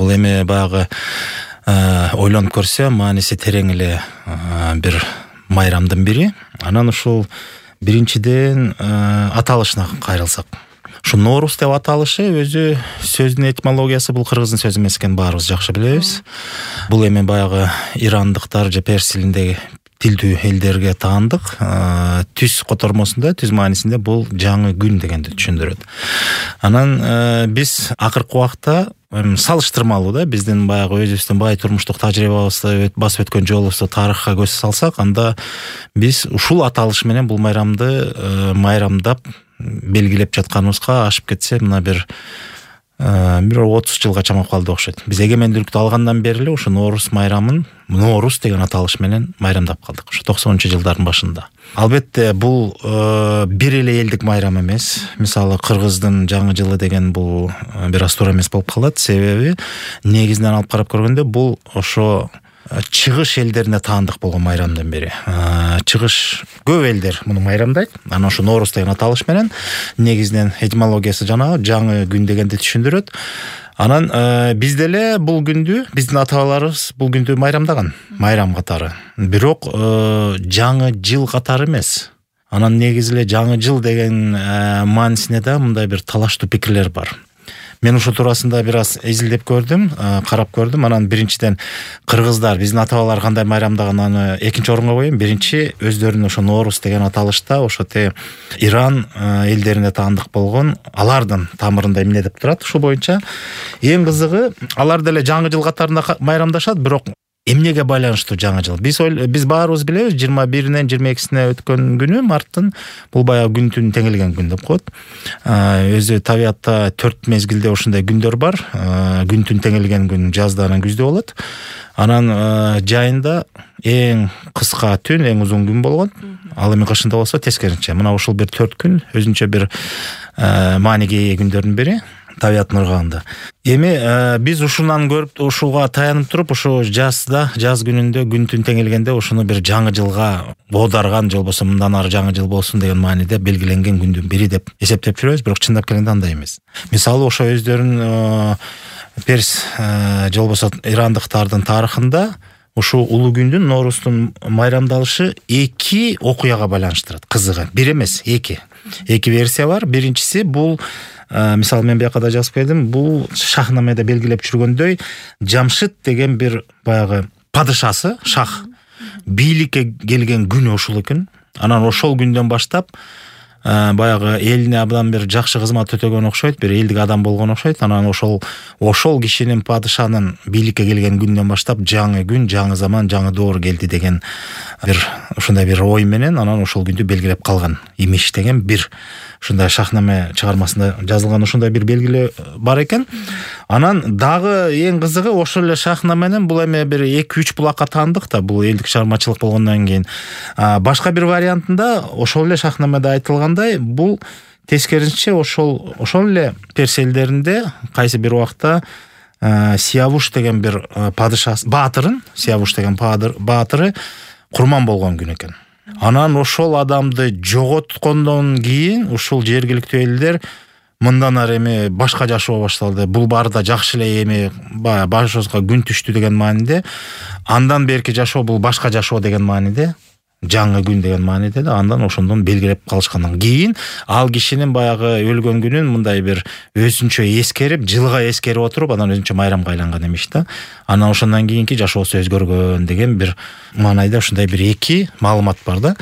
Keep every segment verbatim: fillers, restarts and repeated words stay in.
бул эми баягы ойлонуп көрсө мааниси терең эле бир майрамдын бири. Анан ушул биринчиден аталышына кайрылсак. Ушу Норуз деп аталышы өзү сөздүн этимологиясы бул кыргыздын сөзү эмес экенин баарыбыз жакшы билебиз. Бул эми баягы ирандыктар же перс тилиндеги тилдүү элдерге таандык. Түз котормосунда, түз маанисинде бул жаңы күн дегенди түшүндүрөт. Анан биз акыркы убакта салыштырмалуу да биздин баягы өзүбүздүн бай турмуштук тажрыйбабызды басып өткөн жолубузду тарыхка көз салсак, анда биз ушул аталыш менен бул майрамды майрамдап белгилеп жатканыбызга ашып кетсе мына бир бир отуз жылга чамап калды окшойт. Биз эгемендүүлүктү алгандан бери эле ушу Норуз майрамын Норуз деген аталыш менен майрамдап калдык. Ушу токсонунчу жылдардын башында. Албетте бул бир эле элдик майрам эмес. Мисалы Кыргыздын жаңы жылы деген бул бир аз туура эмес болуп калат. Себеби негизинен алып карап көргөндө бул ошо чыгыш элдерине таандык болгон майрамдан бери. Чыгыш көп элдер муну майрамдайт. Анан ошо Норуз деген аталыш менен негизинен этимологиясы жанагы жаңы күн дегенди түшүндүрөт. Анан биз деле бул күндү, биздин ата-бабаларыбыз бул күндү майрамдаган, майрам катары. Бирок жаңы жыл катары эмес. Анан негизи эле жаңы жыл деген маанисине да мындай бир талаштуу пикирлер бар. Мен ушул туурасында бир аз изилдеп көрдүм, карап көрдүм. Анан биринчиден кыргыздар, биздин ата-бабалар кандай майрамдаган аны экинчи орунга коеюн. Биринчи өздөрүнүн ошо Норуз деген аталышта ошо те Иран элдерине таандык болгон, алардын тамырында эмне деп турат. Ушул боюнча эң кызыгы алар деле жаңы жыл катарында майрамдашат, бирок эмнеге байланыштуу жаңы жыл? Биз биз баарыбыз билебиз, жыйырма биринен жыйырма экисине өткөн күнү марттын бул баягы күн түн теңелген күн деп коет. Өзү табиятта төрт мезгилде ошондой күндөр бар. Күн түн теңелген күн жазда анан күздө болот. Анан жайында эң кыска түн, эң узун күн болгон. Ал эми кышында болсо тескерисинче. Мына ушул бир төрт күн өзүнчө бир мааниге ээ күндөрдүн бири. Табиаттын ыргагында. Эми биз ушундан көрүп, ушуга таянып туруп, ушу жазда, жаз күнүндө күн түн теңелгенде ушуну бир жаңы жылга оодарган, же болбосо мындан ары жаңы жыл болсун деген мааниде белгиленген күндүн бири деп эсептеп жүрөбүз, бирок чындап келгенде андай эмес. Мисалы ошо өздөрүнүн перс же болбосо ирандыктардын тарыхында ушул улуу күндүн, Норуздун майрамдалышы эки окуяга байланыштырат. Кызыгы, бир эмес, эки. Эки версия бар. Биринчиси бул мисалы мен бияка да жазып келдим, бул шахнамеде белгилеп жүргөндөй Жамшыт деген бир баягы падышасы, шах бийликке келген күнү ушул экен. Анан ошол күндөн баштап баягы элине абдан бир жакшы кызмат өтөгөн окшойт, бир элдик адам болгон окшойт. Анан ошол ошол кишинин, падышанын бийликке келген күндөн баштап жаңы күн, жаңы заман, жаңы доор келди деген бир ушундай бир ой менен анан ошол күндү белгилеп калган имиш деген бир ушундай шахнаме чыгармасында жазылган ушундай бир белгилөө бар экен. Анан дагы эң кызыгы ошол эле шахнаменен бул эми бир эки үч булакка таандык да, бул элдик чыгармачылык болгондон кийин. Башка бир вариантында ошол эле шахнамеде айтылгандай, бул тескерисинче ошол ошол эле перс элдеринде кайсы бир убакта Сиявуш деген бир падышасы, баатырын, Сиявуш деген баатыры курман болгон күн экен. Анан ошол адамды жоготкондон кийин ушул жергиликтүү элдер мындан ары эми башка жашоо башталды. Бул баары да жакшы эле эми башыбызга күн түштү деген мааниде. Андан берки жашоо бул башка жашоо деген мааниде. Жаңы күн деген мааниде да, андан ошондон белгилеп калышкандан кийин ал кишинин баягы өлгөн күнүн мындай бир өзүнчө эскерип, жылга эскерип отуруп, анан өзүнчө майрамга айланган эмиш да. Анан ошондон кийинки жашоосу өзгөргөн деген бир маанайда ушундай бир эки маалымат бар да.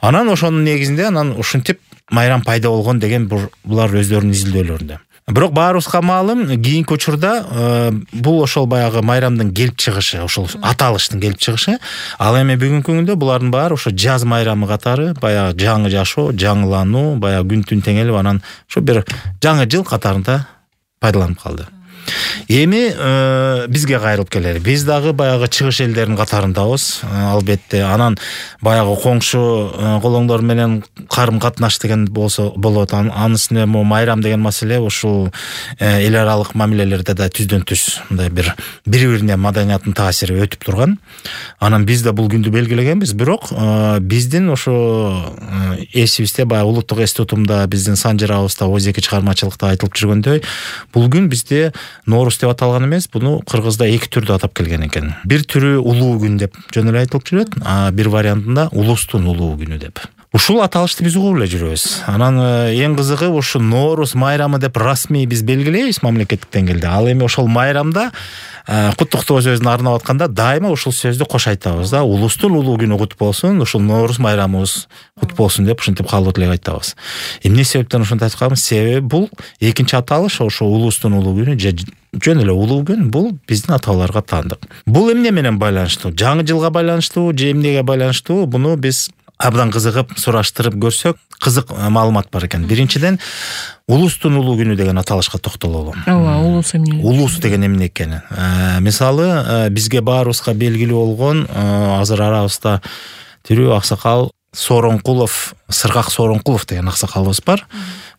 Анан ошонун негизинде анан ушинтип майрам пайда болгон деген булар өздөрүнүн изилдөөлөрүндө. Бирок баарыбызга маалым, кийинки учурда бул ошол баягы майрамдын келип чыгышы, ошол аталыштын келип чыгышы. Ал эми бүгүнкү күндө булардын баары ошо жаз майрамы катары, баягы жаңы жашоо, жаңылануу, баягы күн түн теңелип, анан ошо бир жаңы жыл катарында пайдаланып калды. Эми бизге кайрылып келели. Биз дагы баягы чыгыш элдеринин катарындабыз, албетте. Анан баягы коңшу колоңдор менен карым катнаш деген болсо болот. Анысында майрам деген маселе ушул эл аралык мамилелерде да түздөн түз мындай бир бири-бирине маданияттын таасири өтүп турган. Анан биз да бул күндү белгилегенбиз, бирок биздин ошо эсибизде баягы улуттук эс тутумда, биздин санжырабызда, өзеки чыгармачылыкта айтылып жүргөндөй, бул күн бизде Ноорус деп аталган эмес, буну кыргызда эки түрдө атап келген экен. Бир түрү улуу күн деп жөн эле айтылып жүрөт, а бир вариантында улустун улуу күнү деп. Ушул аталышты биз угуп эле жүрөбүз. Анан эң кызыгы ушу Ноорус майрамы деп расмий биз белгилейбиз мамлекеттик деңгээлде. Ал эми ошол майрамда куттуктоо сөзүн арнап атканда дайыма ушул сөздү кош айтабыз да. Улустун улуу күнү кут болсун, ушул Ноорус майрамыбыз кут болсун деп ушинтип калуу тилек айтабыз. Эмне себептен ушинтип айтканбыз? Себеби бул экинчи аталыш, ошо улустун улуу күнү же жөн эле улуу күн, бул биздин аталарга таандык. Бул эмне менен байланыштуу? Жаңы жылга байланыштуу же эмнеге байланыштуу? Буну биз абдан кызыгып сураштырып көрсөк, кызык маалымат бар экен. Биринчиден, улустун улуу күнү деген аталышка токтололу. Ооба, улус эмне? Улус деген эмне экени? Мисалы, бизге баарыбызга белгилүү болгон азыр арабызда тирүү аксакал Сооронкулов, Сыргак Сооронкулов деген аксакалыбыз бар.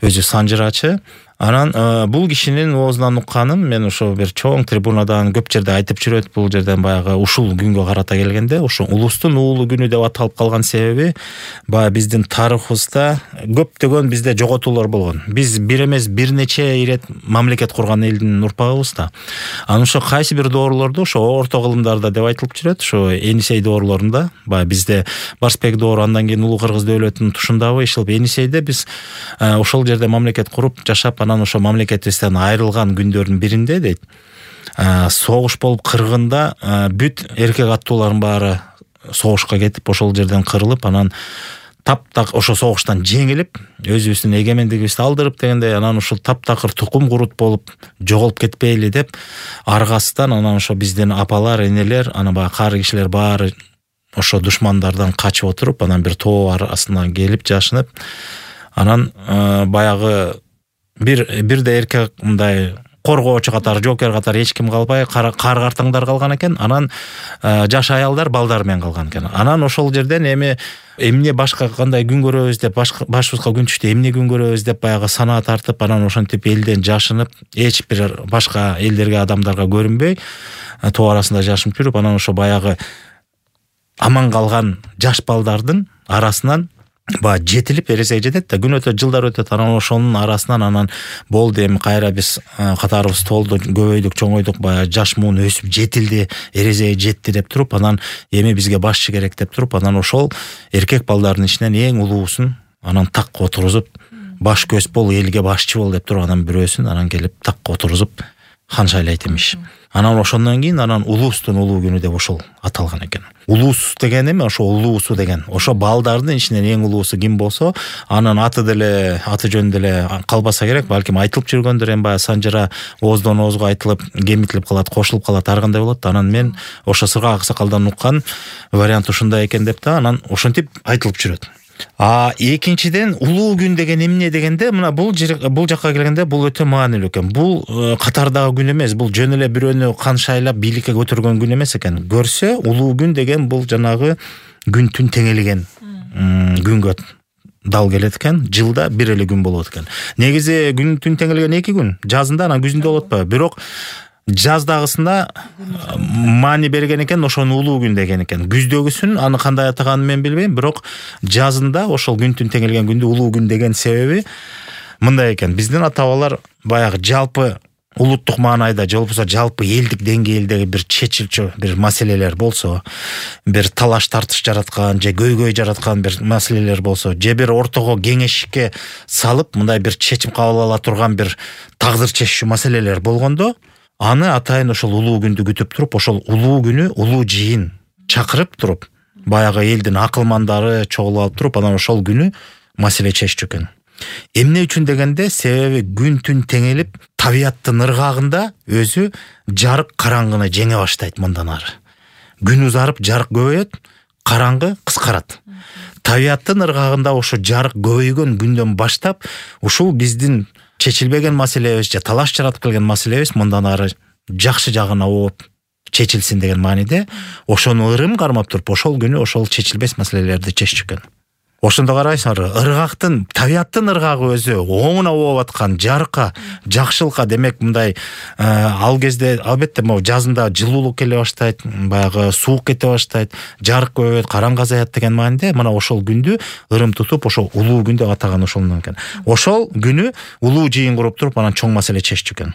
Өзү санжырачы. Анан бул кишинин оозунан укканым, мен ошо бир чоң трибунадан көп жерде айтып жүрөт, бул жерден баягы ушул күнгө карата келгенде, ошо улустун улуу күнү деп аталып калган себеби баягы биздин тарыхыбызда көптөгөн бизде жоготуулар болгон. Биз бир эмес бир нече ирет мамлекет курган элдин урпагыбыз да. Анан ошо кайсы бир доорлорду ошо орто кылымдарда деп айтылып жүрөт, ошо Энисей доорлорунда, баягы бизде Барсбек доору, андан кийин Улуу Кыргыз дөөлөтүнүн тушундагы ишилип Энисейде биз ошол жерде мамлекет куруп жашап, анан ошо мамлекетибизден айрылган күндөрдүн биринде дейт, согуш болуп кыргында бүт эркек аттуулардын баары согушка кетип, ошол жерден кырылып, анан таптак ошо согуштан жеңилип, өзүбүздүн эгемендигибизди алдырып дегендей, анан ушул таптакыр тукум курут болуп жоголуп кетпейли деп, аргасынан анан ошо биздин апалар, энелер, анан баягы кары кишилер баары ошо душмандардан качып отуруп, анан бир тоо арасына келип жашынып, анан баягы бир бирде эркек мындай коргоочу катары, жокер катары эч ким калбай, кар картаңдар калган экен. Анан жаш аялдар балдар менен калган экен. Анан ошол жерден эми эмне башка кандай күн көрөбүз деп, башыбызга күн түштү, эмне күн көрөбүз деп баягы санаа тартып, анан ошентип элден жашынып, эч бир башка элдерге, адамдарга көрүнбөй, тоо арасында жашынып жүрүп, анан ошо баягы аман калган жаш балдардын арасынан ба жетилип эрезе жетет да, күн өтөт, жылдар өтөт, анан ошонун арасынан анан болду, эми кайра биз катарыбыз толду, көбөйдүк, чоңойдук, баягы жаш муун өсүп жетилди, эрезеге жетти деп туруп, анан эми бизге башчы керек деп туруп, анан ошол эркек балдардын ичинен эң улуусун анан такка отургузуп, баш көз бол, элге башчы бол деп туруп, анан бирөөсүн анан келип такка отургузуп хан шайлайт имиш. Анан ошондон кийин анан улустун улуу күнү деп ошол аталган экен. Улус деген эми ошо улуусу деген. Ошо балдардын ичинен эң улуусу ким болсо, анын аты деле, аты жөнү деле калбаса керек, балким айтылып жүргөндөр, эми баягы санжыра ооздон оозго айтылып, кемитилип калат, кошулуп калат, ар кандай болот. Анан мен ошо Сыргак аксакалдан уккан вариант ушундай экен деп да, анан ошентип айтылып жүрөт. А экинчиден, улуу күн деген эмне дегенде, мына бул бул жакка келгенде бул өтө маанилүү экен. Бул катардагы күн эмес, бул жөн эле бирөөнү кан шайлап бийликке көтөргөн күн эмес экен. Көрсө, улуу күн деген бул жанагы күн түн теңелген күнгө дал келет экен. Жылда бир эле күн болот экен. Негизи күн түн теңелген эки күн, жазында анан күзүндө болот атпайбы? Бирок жаздагысында маани берген экен, ошону улуу күн деген экен. Күздөгүсүн аны кандай атаганын мен билбейм, бирок жазында ошол күн түн теңелген күндү улуу күн деген себеби мындай экен. Биздин ата-бабалар баягы жалпы улуттук маанайда, же болбосо жалпы элдик деңгээлдеги бир чечилчү бир маселелер болсо, бир талаш тартыш жараткан же көйгөй жараткан бир маселелер болсо, же бир ортого кеңешке салып мындай бир чечим кабыл ала турган бир тагдыр чечүү маселелер болгондо, аны атайын ошол улуу күндү күтүп туруп, ошол улуу күнү улуу жыйын чакырып туруп, баягы элдин акылмандары чогулуп алып туруп, анан ошол күнү маселе чеччү экен. Эмне үчүн дегенде, себеби күн түн теңелип, табияттын ыргагында өзү жарык караңгыны жеңе баштайт мындан ары. Күн узарып, жарык көбөйөт, караңгы кыскарат. Табияттын ыргагында ошо жарык көбөйгөн күндөн баштап, ушул биздин чечилбеген маселебиз же талаш жаратып келген маселебиз мындан ары жакшы жагына ооп чечилсин деген мааниде, ошону ырым кармап туруп, ошол күнү ошол чечилбес маселелерди чеччү экен. Ошондо карайсыңар, ыргактын, табияттын ыргагы өзү оңуна ооп аткан жарыкка, жакшылыкка, демек мындай ал кезде албетте могу жазында жылуулук келе баштайт, баягы суук кете баштайт, жарык көбөйөт, караңгы азаят деген мааниде, мына ошол күндү ырым тутуп, ошол улуу күн деп атаган ошондон экен. Ошол күнү улуу жыйын куруп туруп, анан чоң маселе чеччү экен.